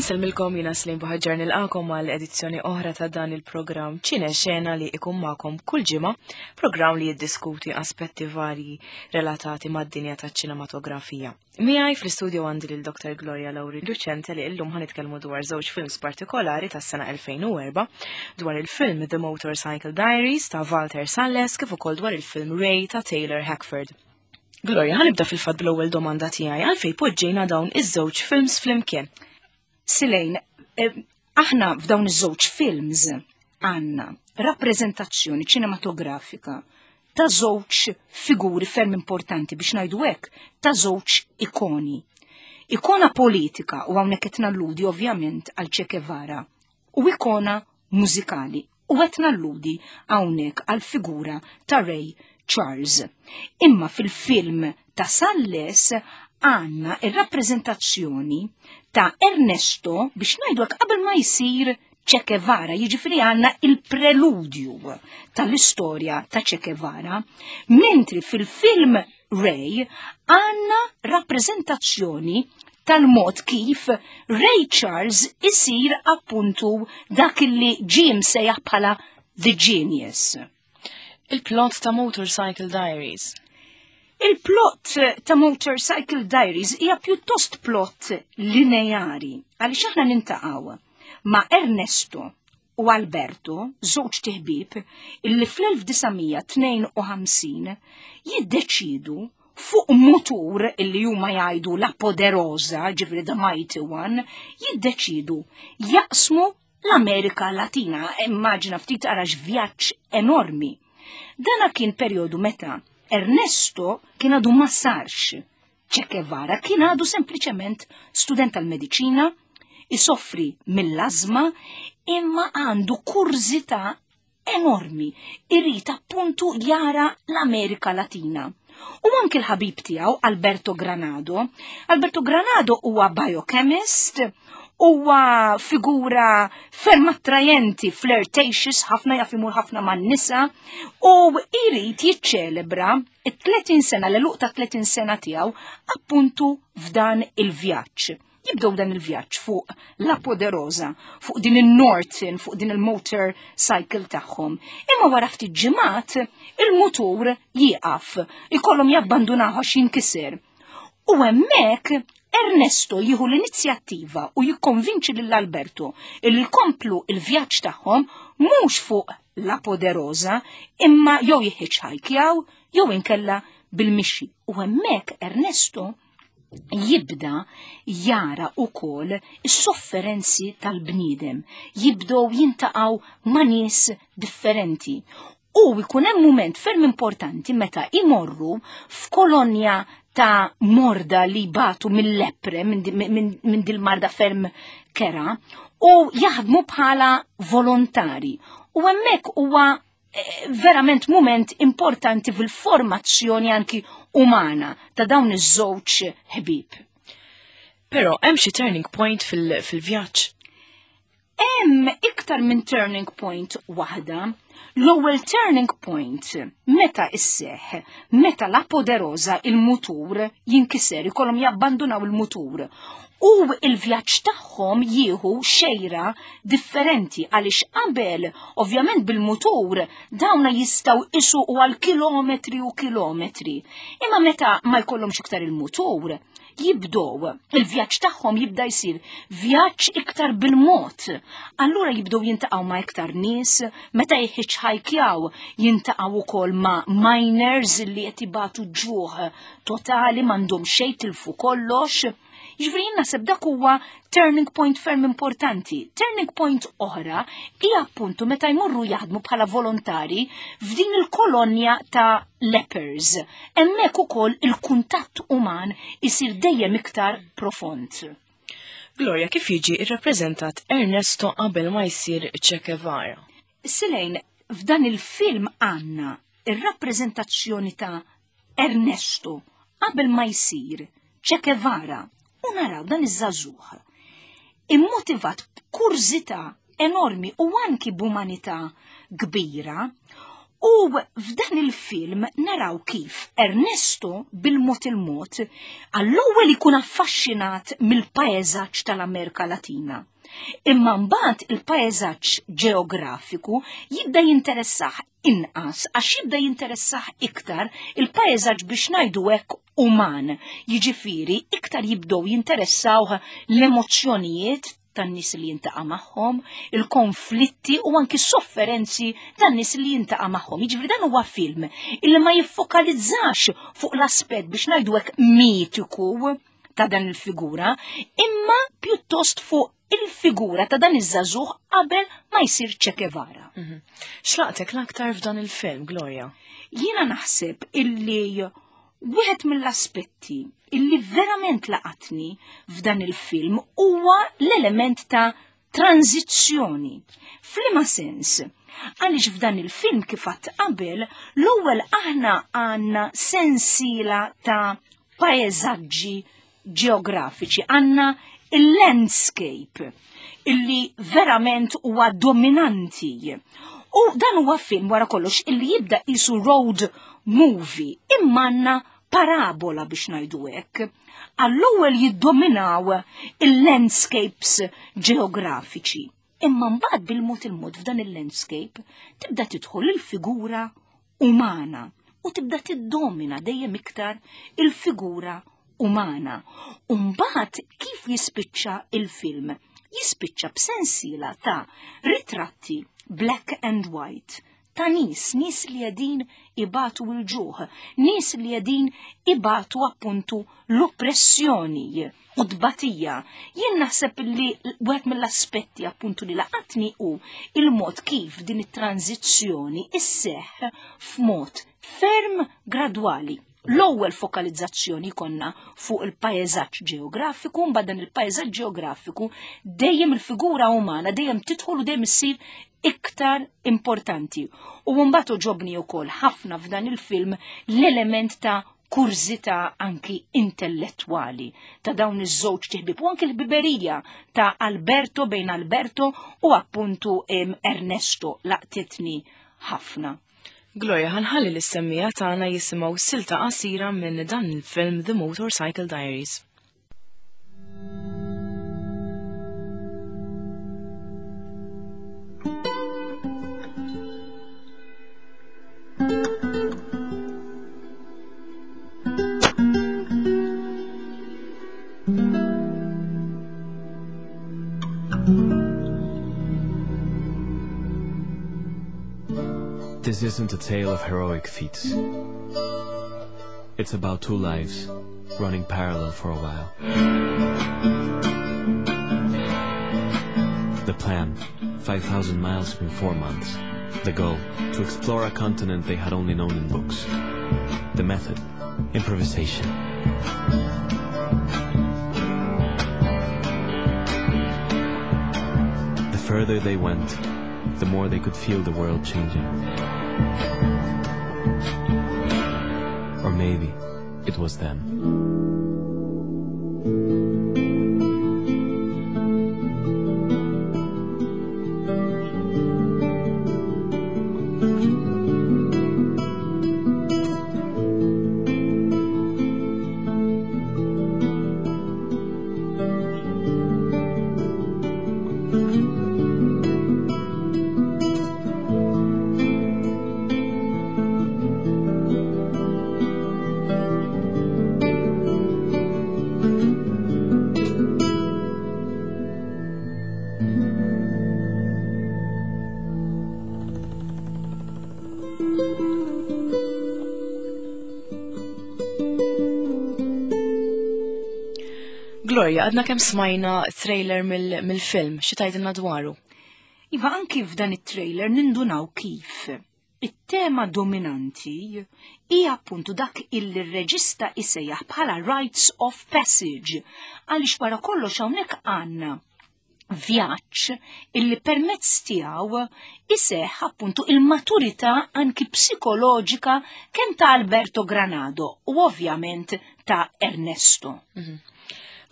Insellmilkom jiena Slim Buħaġġar nilqakom għal edizzjoni oħra ta' dan il-programm Ċine Xena li ikun magħkom kull ġimgħa, programm li jiddiskuti aspetti varji relatati mad-dinja taċ-ċinematografija. Miegħi fl-istudio għandi lil Dr. Gloria Lauri Lucente li illum ħanitkellmu dwar żewġ films partikolari tas-sena 2004, dwar il-film The Motorcycle Diaries ta' Walter Salles kif ukoll dwar il-film Ray ta' Taylor Hackford. Gloria, ħanibda fil-fatt bl-ewwel domanda tiegħi għalfejn poġġejna dawn iż-żewġ films flimkien. Silejn, eh, aħna f'dawn iż-żewġ films għandna rappreżentazzjoni ċinematografika ta' żewġ figuri ferm importanti biex ngħidu hekk ta' żewġ ikoni. Ikona politika u hawnhekk qed nalludi ovvjament għal Che Guevara u ikona mużikali u qed nalludi hawnhekk għal figura ta' Ray Charles. Imma fil-film ta' Salles għandna ir-rappreżentazzjoni ta' Ernesto biex ngħidu hekk qabel ma jsir Che Guevara, jiġifieri għandna il-preludju tal-istorja ta' Che Guevara, mentri fil-film Ray għandna rappreżentazzjoni tal-mod kif Ray Charles isir appuntu dak li ġie msejjaħ bħala The Genius. Il-plot ta' Motorcycle Diaries. Il-plot ta' Motorcycle Diaries hija pjuttost plot lineari għaliex aħna nintaqgħu ma' Ernesto u Alberto, żewġ tiħbib, illi fl-1952 jiddeċidu fuq mutur illi huma jgħidu la poderosa, ġifri the mighty one, jiddeċidu jaqsmu l-Amerika Latina, immaġina ftit ara vjaġġ enormi. Dana kien perjodu meta Ernesto kien għadu ma sarx Che Guevara kien għadu sempliċement student tal-mediċina, isoffri mill-azma, imma għandu kurżità enormi, irid appuntu jara l-Amerika Latina. U anki l-ħabib tiegħu Alberto Granado. Alberto Granado huwa biochemist, huwa figura ferm attrajenti, flirtatious, ħafna jaf imur ħafna man-nisa u jrid jiċċelebra it-30 sena, l-eluq ta' 30 sena tiegħu appuntu f'dan il-vjaġġ. Jibdew dan il-vjaġġ fuq La Poderosa, fuq din il-Norton, fuq din il-motor cycle tagħhom. Imma wara ftit ġimgħat il-mutur jieqaf, ikollhom jabbandunaw għax jinkiser. U hemmhekk Ernesto jieħu l-inizjattiva u jikkonvinċi lil Alberto illi jkomplu il-vjaġġ tagħhom mhux fuq La Poderosa imma jew jihitchhikejaw jew inkella bil-mixi. U hemmhekk Ernesto jibda jara ukoll is-sofferenzi tal-bniedem, jibdew jintaqgħu ma' nies differenti. U jkun hemm mument ferm importanti meta imorru f'kolonja ta' morda li batu mill-lepre, minn dil-marda ferm kera, u jaħdmu bħala volontari. U hemmhekk huwa eh, verament mument importanti fil-formazzjoni anki umana ta' dawn iż-żewġ ħbieb. Però hemm xi turning point fil-vjaġġ. Hemm iktar minn turning point waħda. L-ewwel turning point meta isseħ, meta la poderosa il-mutur jinkiser, ikollhom jabbandunaw il-mutur. U il-vjaġġ tagħhom jieħu xejra differenti għaliex qabel, ovvjament bil-mutur, dawna jistgħu isuqu għal kilometri u kilometri. Imma meta ma jkollhomx iktar il-mutur, jibdow, il-vjaġġ tagħhom jibda jsir vjaġġ iktar bil-mod. Allura jibdew jintaqgħu ma' iktar nies, meta jħiċħajkjaw jintaqgħu wkoll ma' miners li qed ibatu ġuħ totali m'għandhom xejn tilfu kollox. Jiġifieri jien naħseb dak huwa turning point ferm importanti. Turning point oħra hija appuntu meta jmorru jaħdmu bħala volontari f'din il-kolonja ta' lepers. Hemmhekk ukoll il-kuntatt uman isir dejjem iktar profond. Gloria, kif jiġi rrappreżentat Ernesto qabel ma jsir Che Guevara? Silejn, f'dan il-film għandna ir-rappreżentazzjoni ta' Ernesto qabel ma jsir Che Guevara u naraw dan iż-żagħżugħ immotivat b'kurżità enormi u anki b'umanità kbira. U f'dan il-film naraw kif Ernesto bil-mod il-mod għall-ewwel ikun affaxxinat mill-paeżaġġ tal-Amerika Latina. Imma mbagħad il-paeżaġġ ġeografiku jibda jinteressah inqas għax jibda jinteressah iktar il-paeżaġġ biex ngħidu hekk uman. Jiġifieri iktar jibdew jinteressawh l-emozzjonijiet tan-nies li jintaqa' magħhom, il-konflitti u anki s-sofferenzi tan-nies li jintaqa' magħhom. Jiġifieri dan huwa film illi ma jiffokalizzax fuq l-aspett biex ngħidu hekk mitiku ta' dan il-figura, imma pjuttost fuq il-figura ta' dan iż-żagħżugħ qabel ma jsir Che Guevara. Mhm. X'laqtek l-aktar f'dan il-film, Gloria? Jiena naħseb illi wieħed mill-aspetti illi verament laqatni f'dan il-film huwa l-element ta' tranzizzjoni. F'liema sens? Għaliex f'dan il-film kif għadt qabel, l-ewwel aħna għandna sensiela ta' paeżaġġi ġeografiċi, għandna il-landscape illi verament huwa dominanti. U dan huwa film wara kollox illi jibda qisu road movie imma għandna parabola biex ngħidu hekk. Għall-ewwel jiddominaw il-landscapes ġeografiċi. Imma mbagħad bil-mod il-mod f'dan il-landscape tibda tidħol il-figura umana u tibda tiddomina dejjem iktar il-figura umana. U mbagħad kif jispiċċa il-film? Jispiċċa b'sensiela ta' ritratti black and white ta' nies, nies li qegħdin ibatu l-ġuħ, nies li qegħdin ibatu appuntu l-oppressjoni u tbatija. Jien naħseb li wieħed mill-aspetti appuntu li laqatni hu il-mod kif din it-tranzizzjoni isseħħ f'mod ferm gradwali. L-ewwel fokalizzazzjoni konna fuq il-paeżaġġ ġeografiku, mbagħad dan il-paeżaġġ ġeografiku dejjem il-figura umana dejjem tidħol u dejjem issir iktar importanti. U mbagħad oġobni wkoll ħafna f'dan il-film l-element ta' kurżità anki intellettwali ta' dawn iż-żewġ tiħbib u anki l-biberija ta' Alberto bejn Alberto u appuntu Ernesto laqtitni ħafna. Gloria, ħanħalli l-semmija tagħna jisimgħu silta qasira minn dan il-film The Motorcycle Diaries. This isn't a tale of heroic feats. It's about two lives running parallel for a while. The plan 5,000 miles in four months. The goal to explore a continent they had only known in books. The method improvisation. The further they went, the more they could feel the world changing. Or maybe it was them. Gloria, għadna kemm smajna trailer mill-film, xi tgħidilna dwaru? Iva anki f'dan it-trailer nindunaw kif it-tema dominanti hija appuntu dak illi r-reġista isejjaħ bħala rites of passage għaliex wara kollox hawnhekk għandna vjaġġ illi permezz tiegħu iseħħ appuntu il-maturità anki psikoloġika kemm ta' Alberto Granado u ovvjament ta' Ernesto. Mhm.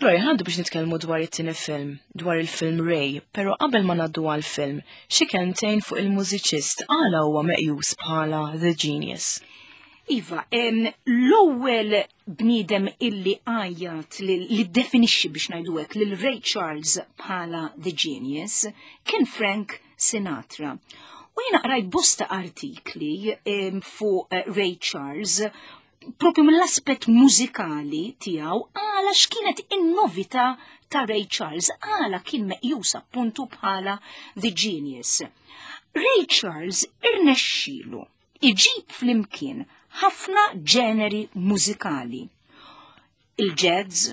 Gloria, ħandu biex nitkellmu dwar it-tieni film, dwar il-film Ray, pero qabel ma naddu għal-film, xi kelmtejn fuq il-mużiċist għala huwa meqjus bħala The Genius. Iva, l-ewwel bniedem illi għajjat li definixxi biex ngħidu hekk lil Ray Charles bħala The Genius kien Frank Sinatra. U jiena qrajt bosta artikli fuq eh, Ray Charles propju mill-aspett mużikali tiegħu għala x'kienet in-novità ta' Ray Charles, għala kien meqjus appuntu bħala The Genius. Ray Charles irnexxielu iġib flimkien ħafna ġeneri mużikali. Il-jazz,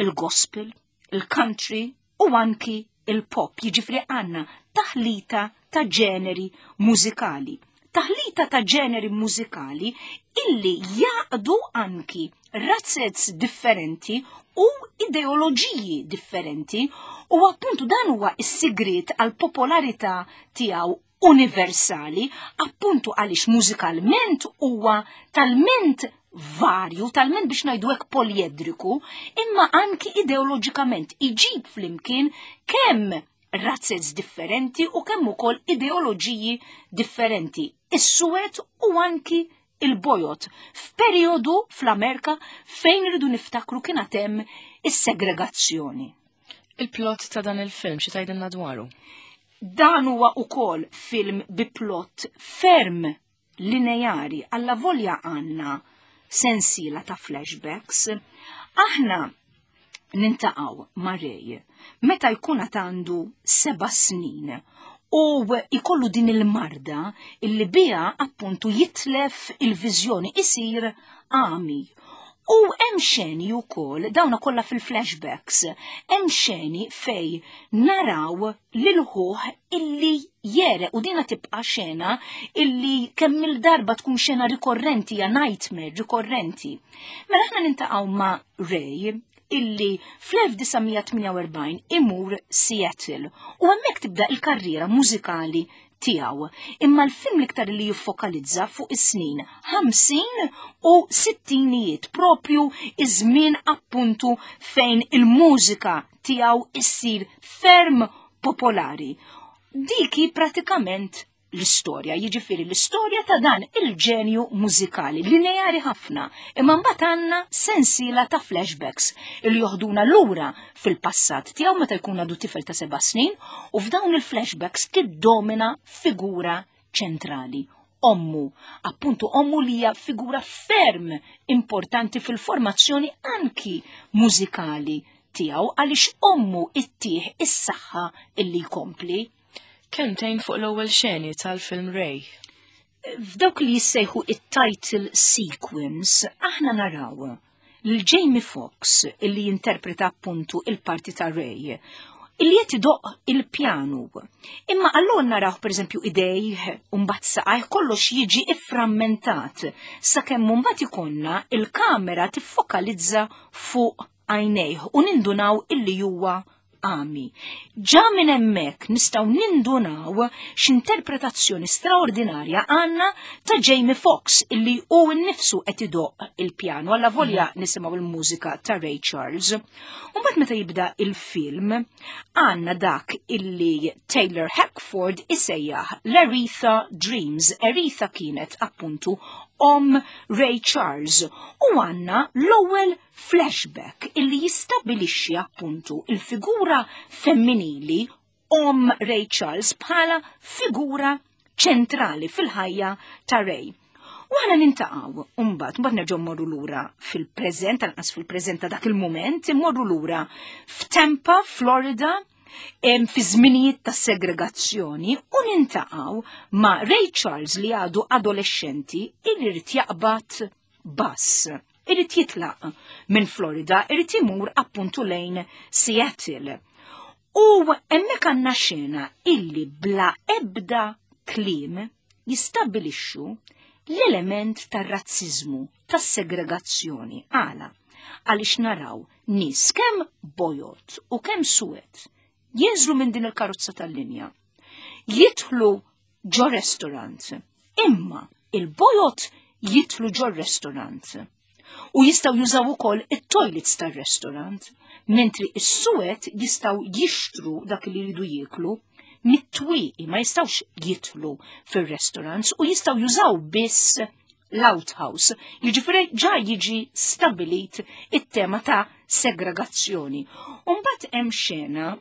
il-gospel, il-country u anki il-pop, jiġifieri għandna taħlita ta' ġeneri mużikali. Taħlita ta' ġeneri mużikali illi jaqdu anki razzez differenti u ideoloġiji differenti u appuntu dan huwa s-sigriet għal popolarità tiegħu universali, appuntu għaliex mużikalment huwa talment varju, talment biex ngħidu hekk poliedriku, imma anki ideoloġikament iġib flimkien kemm razzez differenti u kemm ukoll ideoloġiji differenti, is-suwed u anki il-bojod f'perjodu fl-Amerika fejn rridu niftakru kien hemm is-segregazzjoni. Il-plot ta' dan il-film xi tgħidilna dwaru? Dan huwa ukoll film bi plot ferm lineari alla volja għandna sensiela ta' flashbacks. Aħna nintaqgħu ma' Ray meta jkun għad għandu seba' snin u jkollu din il-marda illi biha appuntu jitlef il-viżjoni isir għami. U hemm xeni wkoll, dawna kollha fil-flashbacks, hemm xeni fej naraw lil ħuh illi jere u dina tibqa' xena illi kemm il-darba tkun xena rikorrenti ja nightmare rikorrenti. Mela aħna nintaqgħu ma' Ray illi fl-1948 imur Seattle u hemmhekk tibda il-karriera mużikali tiegħu. Imma l-film l-iktar li jiffokalizza fuq is-snin 50 u sittinijiet propju iż-żmien appuntu fejn il-mużika tiegħu issir ferm popolari. Diki pratikament l-istorja, jiġifieri l-istorja ta' dan il-ġenju mużikali, lineari ħafna, imma mbagħad għandna sensiela ta' flashbacks li joħduna lura fil-passat tiegħu meta jkun għadu tifel ta' seba' snin u f'dawn il-flashbacks tiddomina figura ċentrali ommu, appuntu ommu li hija figura ferm importanti fil-formazzjoni anki mużikali tiegħu għaliex ommu ittih is-saħħa illi jkompli. Kelmtejn fuq l-ewwel xeni tal-film Ray. F'dawk li jissejħu it-title sequence, aħna naraw lil Jamie Foxx illi jinterpreta appuntu il-parti ta' Ray illi qed idoq il-pjanu. Imma allura naraw pereżempju idejh u mbagħad saqajh kollox jiġi ifframmentat sakemm mbagħad ikollna il-kamera tiffokalizza fuq għajnejh u nindunaw illi huwa għami. Ġa minn hemmhekk nistgħu nindunaw x'interpretazzjoni straordinarja għandna ta' Jamie Foxx illi hu nnifsu qed idoq il-pjanu alla volja mhm. nisimgħu il-mużika ta' Ray Charles. U mbagħad meta jibda il-film għandna dak illi Taylor Hackford isejjaħ l-Aretha Dreams. Aretha kienet appuntu om Ray Charles u għandna l-ewwel flashback illi jistabilixxi appuntu il-figura femminili om Ray Charles bħala figura ċentrali fil-ħajja ta' Ray. U għana nintaqaw, umbat, mbagħad nerġgħu mmorru lura fil-preżent, anqas fil-preżent ta' dak il-mument, immorru lura f'Tampa, Florida, fi żminijiet ta' segregazzjoni u nintaqaw ma' Ray Charles li għadu adolescenti illi rrid jaqbad bus. Irid jitlaq minn Florida, irid imur appuntu lejn Seattle. U hemmhekk għandna xena illi bla ebda kliem jistabbilixxu l-element tar-razziżmu, tas-segregazzjoni. Għala, għaliex naraw nies kemm bojod u kemm suwed jinżlu minn din il-karozza tal-linja, jidħlu ġo restaurant. Imma il-bojod jitlu ġo restaurant u jistaw jużaw ukoll it-toilets tar-restaurant. Mentri is-suwed jistgħu jixtru dak li jridu jieklu mit-twieqi, ma jistgħux jidħlu fir-restaurants u jistgħu jużaw biss l-outhouse. Jiġifieri ġa jiġi stabilit it-tema ta' segregazzjoni. Umbagħad hemm xena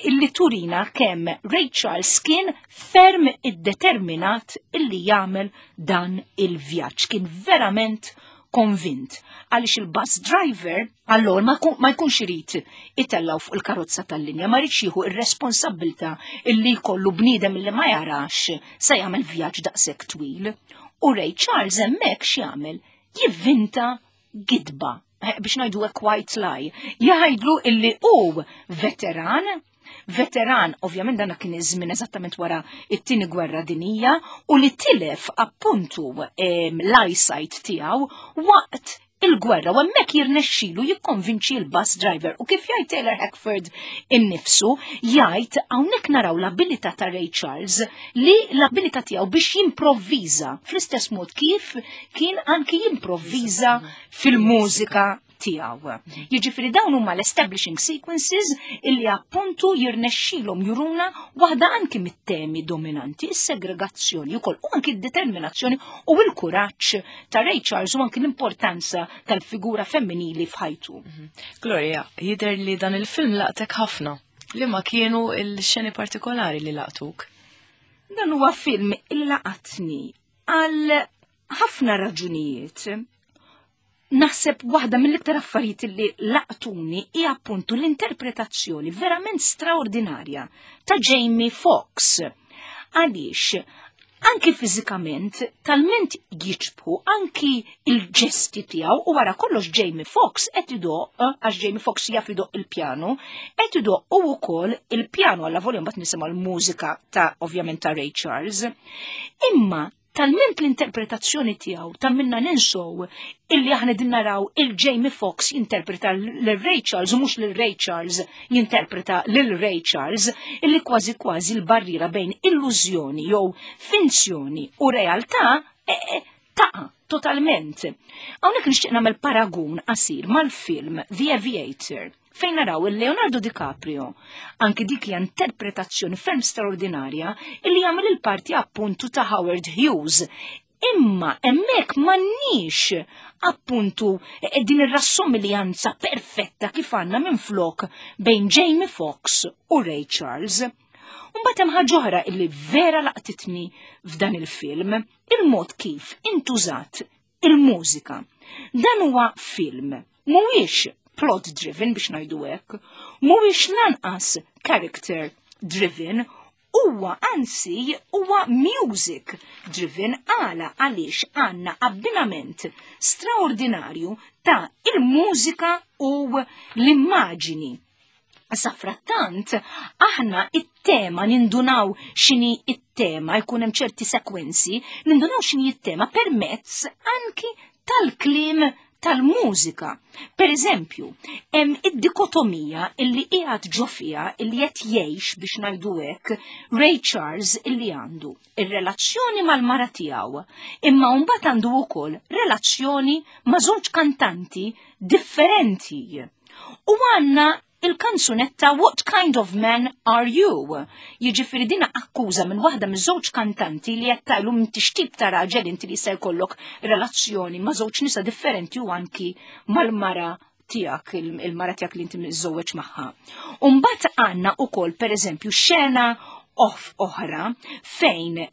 illi turina kemm Ray Charles kien ferm iddeterminat illi jagħmel dan il-vjaġġ. Kien verament konvint għaliex il-bus driver allor ma jkunx irid itellaw fuq il-karozza tal-linja, ma rridx jieħu ir-responsabbilta illi jkollu bniedem illi ma jarax se jagħmel vjaġġ daqshekk twil. U Ray Charles hemmhekk x'jagħmel? Jivvinta gidba, biex ngħidu hekk white lie, jgħidlu illi hu veteran, veteran, ovvjament dan kien iż-żmien eżattament wara it-tieni gwerra dinija, u li tilef appuntu l-eyesight tiegħu waqt il-gwerra, u hemmhekk jirnexxilu jikkonvinċi l-bus driver. U kif jgħid Taylor Hackford innifsu, jgħid hawnhekk naraw l-abilità ta' Ray Charles, li l-abilità tiegħu biex jimprovviża fl-istess mod kif kien anki jimprovviża fil-mużika tiegħu. Jiġifieri dawn huma l-establishing sequences illi appuntu jirnexxilhom juruna waħda anki mit-temi dominanti, is-segregazzjoni wkoll u anki d-determinazzjoni u l-kuraġġ ta' Ray Charles u anki l-importanza tal-figura femminili f'ħajtu. Gloria, jidher li dan il-film laqtek ħafna. Li ma kienu il-xeni partikolari li laqtuk? Dan huwa film illi laqatni għal ħafna raġunijiet. Naħseb waħda mill-iktar affarijiet li laqtuni hija appuntu l-interpretazzjoni verament straordinarja ta' Jamie Foxx. Għaliex anki fiżikament talment jiġbħu anki il-ġesti tiegħu, u wara kollox Jamie Foxx qed idoq, għax Jamie Foxx jaf idoq il-pjano, qed idoq u wkoll il-pjano għalla volja mbagħad nisimgħu l-mużika ta' ovvjament ta' Ray Charles. Imma talment l-interpretazzjoni tiegħu ta' minna ninsow illi aħna din naraw il-Jamie Foxx jinterpreta lil Ray Charles u mhux lil Ray Charles jinterpreta lil Ray Charles, illi kważi kważi l-barriera bejn illużjoni jew finzjoni u realtà taqa' totalment. Hawnhekk nixtieq nagħmel paragun qasir mal-film The Aviator, fejn naraw il-Leonardo DiCaprio, anki dik hija interpretazzjoni ferm straordinarja illi jagħmel il-parti appuntu ta' Howard Hughes. Imma hemmhekk m'għandniex appuntu din ir-rassomiljanza perfetta kif għandna minflok bejn Jamie Foxx u Ray Charles. Mbagħad hemm ħaġa oħra illi vera laqtitni f'dan il-film, il-mod kif intużat il-mużika. Dan huwa film mhuwiex plot driven biex ngħidu hekk, mhuwiex lanqas character driven, huwa anzi huwa music driven. Għala għaliex għandna abbinament straordinarju ta' il-mużika u l-immaġini. Safrattant, aħna it-tema nindunaw x'inhi it-tema, jkun hemm ċerti sekwenzi, nindunaw x'inhi it-tema permezz anki tal-kliem tal-mużika. Per eżempju, hemm id-dikotomija illi qiegħed ġo fiha illi qed jgħix biex ngħidu hekk Ray Charles illi għandu ir-relazzjoni mal-mara tiegħu, imma mbagħad għandu wkoll relazzjoni ma' żewġ kantanti differenti. U għandna il-kanzunetta What Kind of Man Are You? Jiġifieri dina akkuża minn waħda miż-żewġ kantanti li qed tgħidlu m'intix tip ta' raġel inti li se jkollok relazzjoni ma' żewġ nisa differenti u anki mal-mara tiegħek, il-mara tiegħek li inti miżżewweġ magħha. U mbagħad għandna wkoll pereżempju xena off oħra fejn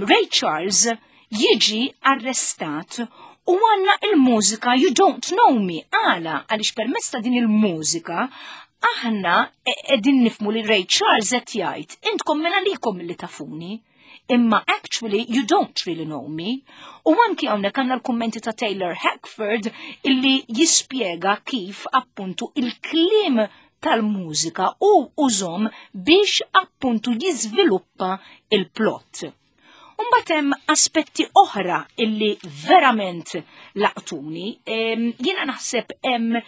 Ray Charles jiġi arrestat u għandna il-mużika You Don't Know Me. Għala, għaliex permezz ta' din il-mużika aħna qegħdin nifmu li Ray Charles qed jgħid intkom mela likom li tafuni, imma actually you don't really know me. U anki hawnhekk għandna l-kummenti ta' Taylor Hackford illi jispjega kif appuntu il-kliem tal-mużika u użom biex appuntu jiżviluppa il-plot. Mbagħad hemm aspetti oħra illi verament laqtuni. Jiena naħseb hemm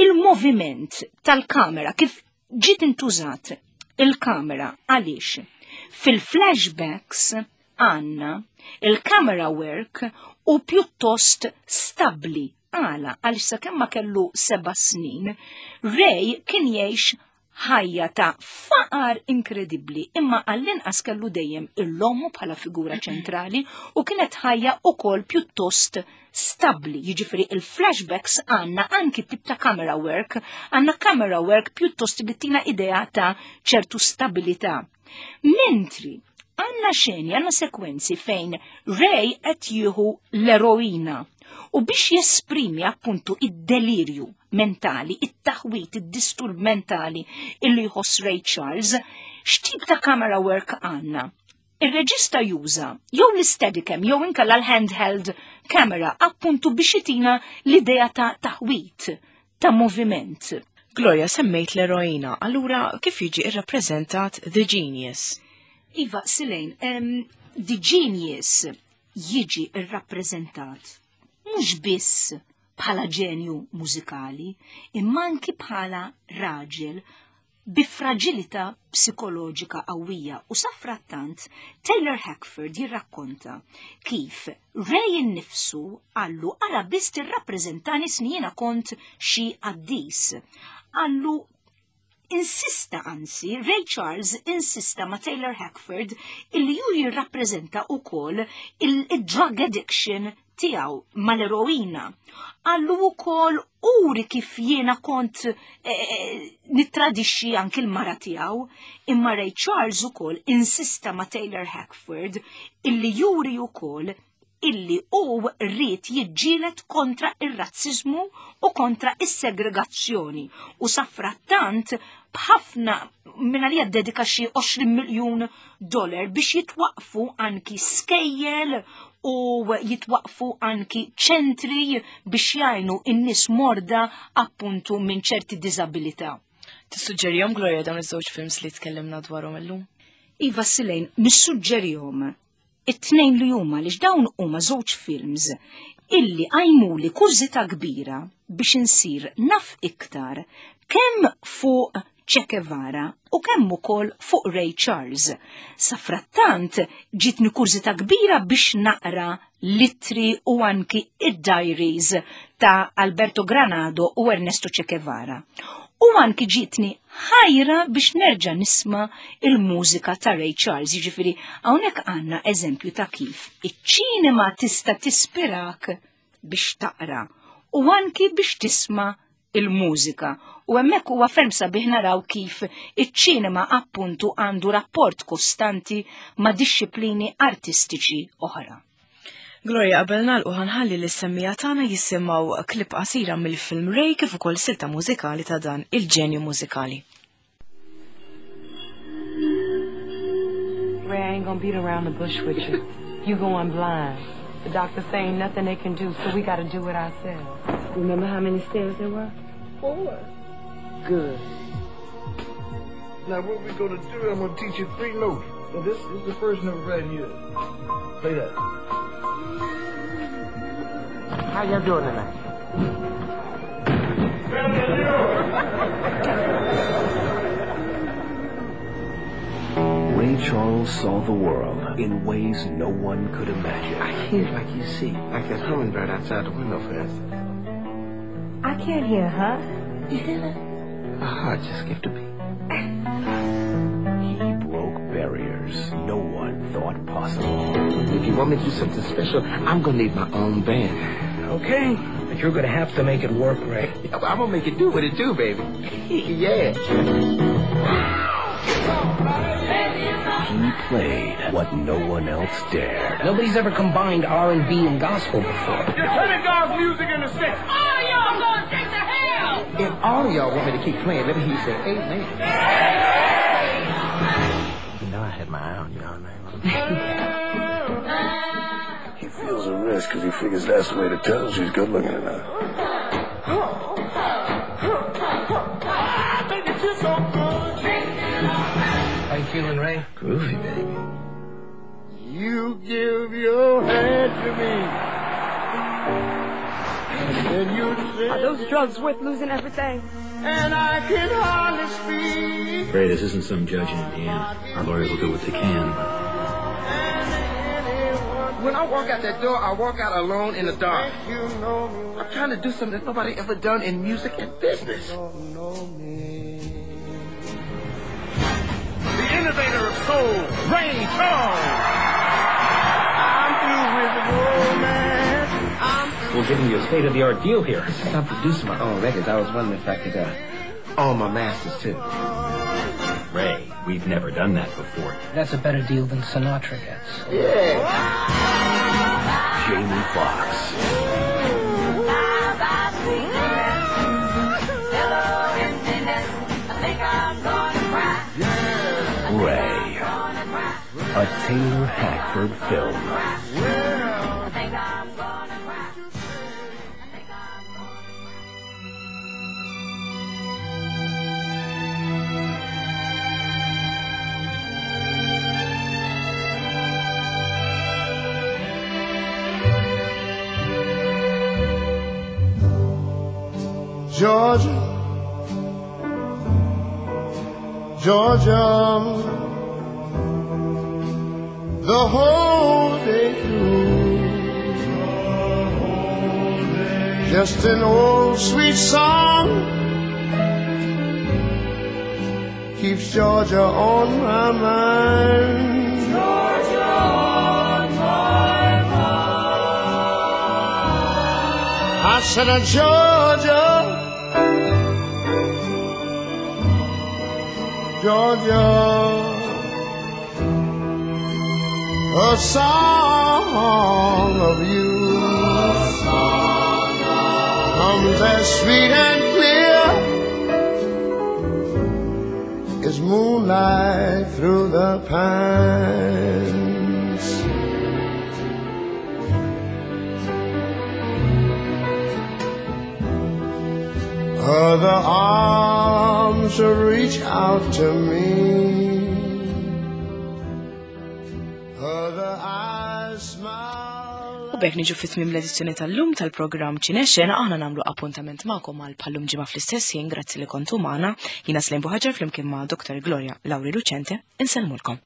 il-moviment tal-kamera, kif ġiet intużat il-kamera, għaliex fil-flashbacks għandna il-camera work u pjuttost stabli. Għala, għaliex sakemm ma kellu seba' snin, Ray kien jgħix ħajja ta' faqar inkredibbli, imma għall-inqas kellu dejjem il-ommu bħala figura ċentrali u kienet ħajja ukoll pjuttost stabbli, jiġifieri il-flashbacks għandna anki tip ta' camera work, għandna camera work pjuttost li tina idea ta' ċertu stabilità. Mentri għandna xeni, għandna sekwenzi fejn Ray qed jieħu l-eroina u biex jesprimi appuntu id-delirju mentali, it-taħwit, id-disturb mentali illi jħoss Ray Charles, x'tip ta' camera work għandna? Ir-reġista juża jew l-steadicam jew inkella l-handheld camera appuntu biex itina l-idea ta' taħwit, ta' moviment. Gloria semmejt l-eroina, allura kif jiġi irrappreżentat The Genius? Iva, Silejn, um, The Genius jiġi irrappreżentat mhux biss bħala ġenju mużikali, imma anki bħala raġel bi fraġilità psikoloġika qawwija u safrattant Taylor Hackford jirrakkonta kif Ray innifsu qallu ara biss tirrappreżentani sni jiena kont xi qaddis. Qallu insista anzi, Ray Charles insista ma' Taylor Hackford illi ju jirrappreżenta ukoll il-drug addiction tiegħu mal-eroina. Qallu wkoll uri kif jiena kont eh, eh, nittradixxi anki l-mara tiegħu, imma Ray Charles ukoll insista ma' Taylor Hackford illi juri ukoll illi hu ried jiġġieled kontra ir-razziżmu u kontra is-segregazzjoni u safrattant b'ħafna minn għalija dedika xi 20 miljun dollar biex jitwaqfu anki skejjel u jitwaqfu anki ċentri biex jgħinu in-nies morda appuntu minn ċerti diżabilità. Tissuġġerihom Gloria dawn iż-żewġ films li tkellimna dwarhom illum? Iva Silejn, nissuġġerihom it-tnejn li huma li dawn huma żewġ films illi għajmuli kurżità kbira biex insir naf iktar kemm fuq Che Guevara u kemm ukoll fuq Ray Charles. Safrattant ġitni kurżità kbira biex naqra l-ittri u anki id-diaries ta' Alberto Granado u Ernesto Che Guevara. U anki ġitni ħajra biex nerġa' nisma' il-mużika ta' Ray Charles, jiġifieri hawnhekk għandna eżempju ta' kif iċ-ċinema tista' tispirak biex taqra u anki biex tisma' il-mużika. U hemmhekk huwa ferm sabiħ naraw kif iċ-ċinema appuntu għandu rapport kostanti ma' dixxiplini artistiċi oħra. Gloria, qabel nagħlqu ħanħalli lis semmija tagħna jisimgħu klip qasira mill-film Ray kif ukoll silta mużikali ta' dan il-ġenju mużikali. Ray, I ain't gonna beat around the bush with you. You going blind. The doctor saying nothing they can do, so we gotta do it ourselves. Remember how many stairs there were? Four. Good. Now what we gonna do, I'm gonna teach you three notes. Now this is the first note right here. Play that. How y'all doing tonight? Ray Charles saw the world in ways no one could imagine. I hear like you see, like that hummingbird outside the window, for instance. I can't hear, huh? You hear that? My heart just skipped a beat. He broke barriers no one thought possible. If you want me to do something special, I'm gonna need my own band. Okay, but you're gonna have to make it work, Ray. I'm gonna make it do what it do, baby. Yeah. He played what no one else dared. Nobody's ever combined R&B and gospel before. You're turning God's music into sex. All y'all gonna take to hell! If all of y'all want me to keep playing, let me hear you say amen. You know I had my eye on you all night long. He feels a risk because he figures that's the way to tell her she's good looking enough. How you feeling, Ray? Groovy, baby. You give your hand to me. And then you say, Are those drugs worth losing everything? and I can hardly speak. Ray, this isn't some judge in Indiana. Our lawyers will do what they can, but And anyone When I walk out that door, I walk out alone in the dark. I'm trying to do something that nobody ever done in music and business. The innovator of soul, Ray Charles. I'm through with romance. I'm through. We're giving you a state-of-the-art deal here. Since I'm producing my own records, I was wondering if I could own my masters too. Ray, we've never done that before. That's a better deal than Sinatra gets. Yeah. Jamie Foxx. Ray. A Taylor Hackford film. Georgia, Georgia, the whole day through. Just an old sweet song keeps Georgia on my mind. Georgia on my mind. I said, Georgia. Georgia, a song of you comes as sweet and clear as moonlight through the pines. Other arms reach out to me. Other eyes smile. U b'hekk niġu fit-tmiem l-edizzjoni tal-lum tal-programm Ċinexxena aħna nagħmlu appuntament magħkom għal bħallum ġimgħa fl-istess ħin grazzi li kontu magħna. Jiena Slim Buħaġar flimkien ma' Dr. Gloria Lauri Lucente insellmulkom.